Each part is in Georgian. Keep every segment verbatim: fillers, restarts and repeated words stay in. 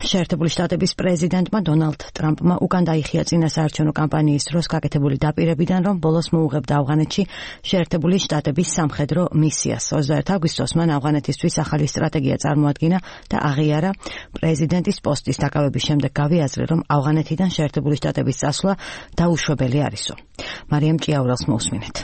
შეერთებული შტატების პრეზიდენტმა დონალდ ტრამპმა უკან დაიხია წინა საარჩევნო კამპანიის დროს გაკეთებული დაპირებიდან, რომ ბოლოს მოუღებდა ავღანეთში შეერთებული შტატების სამხედრო მისიას. ოცდაერთი აგვისტოს მან ავღანეთისთვის ახალი სტრატეგია წარმოადგინა და აღიარა. პრეზიდენტის პოსტის დაკავების შემდეგ გავიაზრე, რომ ავღანეთიდან შეერთებული შტატების წასვლა დაუშვებელი არისო. მარიამ ჭიაურელს მოусმინეთ.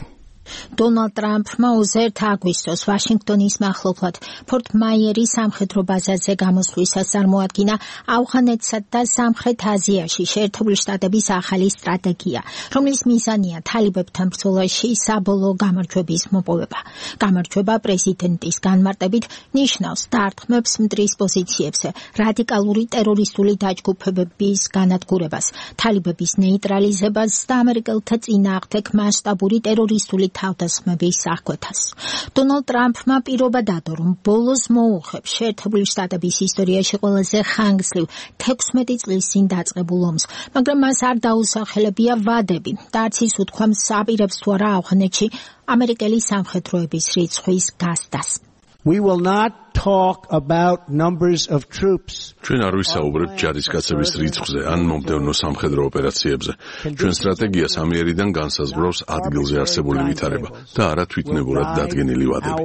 დონალდ ტრამპმა ოცდაერთი აგვისტოს ვაშინგტონის მახლობლად ფორტ მაიერის სამხედრო ბაზაზე გამოსვლისას წარმოადგინა ავღანეთსა და სამხრეთ აზიაში შეერთებული შტატების ახალი სტრატეგია, რომლის მიზანია თალიბებთან ბრძოლაში საბოლოო გამარჯვების მოპოვება. გამარჯვება პრეზიდენტის განმარტებით ნიშნავს დარტყმებს მტრის პოზიციებზე, რადიკალური ტერორისტული დაჯგუფებების განადგურებას, თალიბების ნეიტრალიზებას და ამერიკელთა წინააღმდეგ მასშტაბური ტერორისტული თავდასხმების აღკვეთას. დონალდ ტრამპმა პირობა დადო, რომ ბოლოს მოუღებს შეერთებული შტატების ისტორიაში ყველაზე ხანგრძლივ თექვსმეტი წლის წინ დაწყებულ ომს, მაგრამ მას არ დაუსახელებია ვადები და არც ის უთქვამს აპირებს თუ არა ავღანეთში ამერიკელი სამხედროების რიცხვის გასდას. We will not talk about numbers of troops. ჩვენ არ ვისაუბრებთ ჯარისკაცების რიცხვზე ან მომდევნო სამხედრო ოპერაციებზე. ჩვენ სტრატეგიას ამიერიდან განსაზღვრავს ადგილზე არსებული ვითარება და არა თვითნებურად დადგენილი ვადები.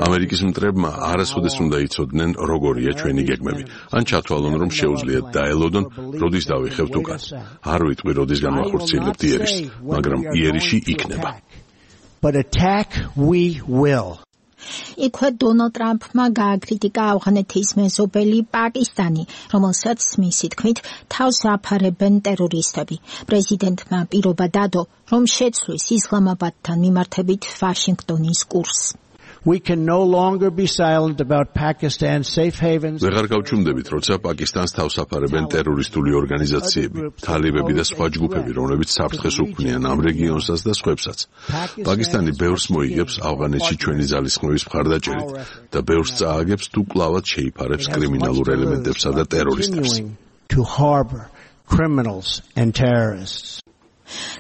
ამერიკის მტრებმა არასოდეს უნდა იცოდნენ, როგორია ჩვენი გეგმები. ან ჩათვალონ, რომ შეუძლიათ დაელოდონ, როდის დავიხევთ უკან. არ ვიტყვი, როდის განვახორციელებთ იერიშს, მაგრამ იერიში იქნება. But attack we will. იქვე დონალდ ტრამპმა გააკრიტიკა ავღანეთის მეზობელი პაკისტანი, რომელსაც მისი თქმით თავს აფარებენ ტერორისტები. პრეზიდენტმა პირობა დადო, რომ შეცვლის ისლამაბადთან მიმართებით ვაშინგტონის კურსს. We can no longer be silent about Pakistan's safe havens. ვეღარ გავჩუმდებით, როცა პაკისტანს თავს აფარებენ ტერორისტული ორგანიზაციები, თალიბები და სხვა ჯგუფები, რომლებიც საფრთხეს უქმნიან ამ რეგიონსაც და სხვებსაც. პაკისტანი ბევრს მოიგებს ავღანეთში ჩვენი ძალისხმევის მხარდაჭერით და ბევრს წააგებს თუ კლავად შეიფარებს კრიმინალურ ელემენტებსა და ტერორისტებს. To harbor criminals and terrorists.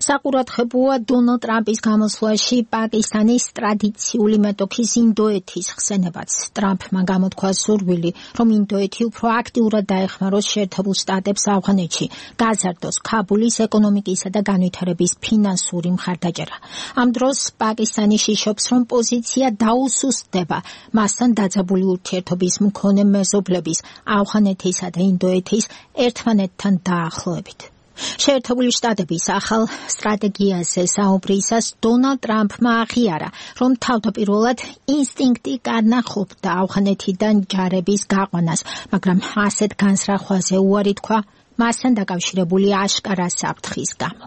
საყურადღებოა დონალდ ტრამპის გამოსვლაში პაკისტანის ტრადიციული მეტოქის ინდოეთის ხსენებაც. ტრამპმა გამოთქვა სურვილი, რომ ინდოეთი უფრო აქტიურად დაეხმაროს შეერთებულ შტატებს ავღანეთში, გაზარდოს ქაბულის ეკონომიკისა და განვითარების ფინანსური მხარდაჭერა. ამ დროს პაკისტანი შიშობს, რომ პოზიცია დაუსუსტდება მასთან დაძაბული ურთიერთობის მქონე მეზობლების, ავღანეთისა და ინდოეთის ერთმანეთთან დაახლოებით. შეერთებული შტატების ახალ სტრატეგიაზე საუბრისას დონალდ ტრამპმა აღიარა, რომ თავდაპირველად ინსტინქტი განახობდა ავღანეთიდან ჯარების გაყვანას, მაგრამ ასეთ განსრახვაზე უარი თქვა მასთან დაკავშირებული აშკარა საფრთხის გამო.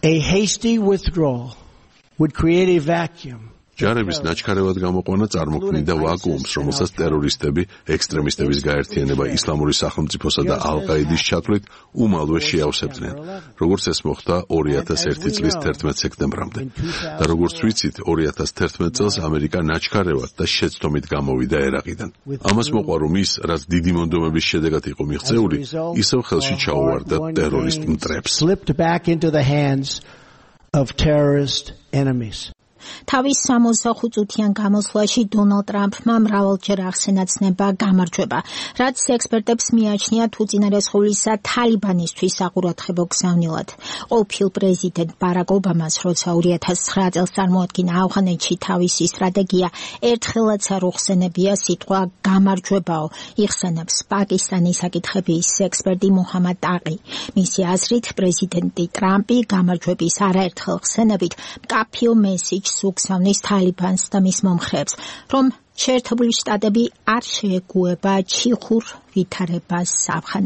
A hasty withdrawal would create a vacuum. ჯარების ნაჩქარევად გამოყვანა წარმოქმნიდა ვაკუუმს, რომელსაც ტერორისტები, ექსტრემისტების გაერთიანება ისლამური სახელმწიფოსა და ალ-ყაიდის ჩათვლით უმალვე შეავსებდნენ, როგორც ეს მოხდა ორი ათას ერთი წლის თერთმეტ სექტემბრამდე. და როგორც ვიცით, ორი ათას თერთმეტ წელს ამერიკა ნაჩქარევად და შეცდომით გამოვიდა ერაყიდან. ამას მოყვა, რომ ის, რაც დიდი მონდომების შედეგად იყო მიღწეული, ისევ ხელში ჩაუვარდა ტერორისტ მტრებს. Slipped back into the hands of terrorist enemies. თავის სამოცდახუთ წუთიან გამოსვლაში დონალდ ტრამპმა მრავალჯერ ახსენა ცნება გამარჯვება, რაც ექსპერტებს მიაჩნია უწინარესხულისა თალიბანისთვის საყურადღებო გზავნილად. ყოფილ პრეზიდენტ ბარაკ ობამას, როცა ორი ათას ცხრა წელს წარმოადგინა ავღანეთში თავისი სტრატეგია, ერთხელაც არ უხსენებია სიტყვა გამარჯვებაო, იხსენებს პაკისტანის საკითხების ექსპერტი მუჰამად ტაყი. მისი აზრით, პრეზიდენტი ტრამპი გამარჯვების არაერთხელ ხსენებით მკაფიო მესიჯს უგზავნის თალიბანს და მის მომხრეებს, რომ შეერთებული შტატები არ შეეგუება ჩიხურ ვითარებას ავღანეთში.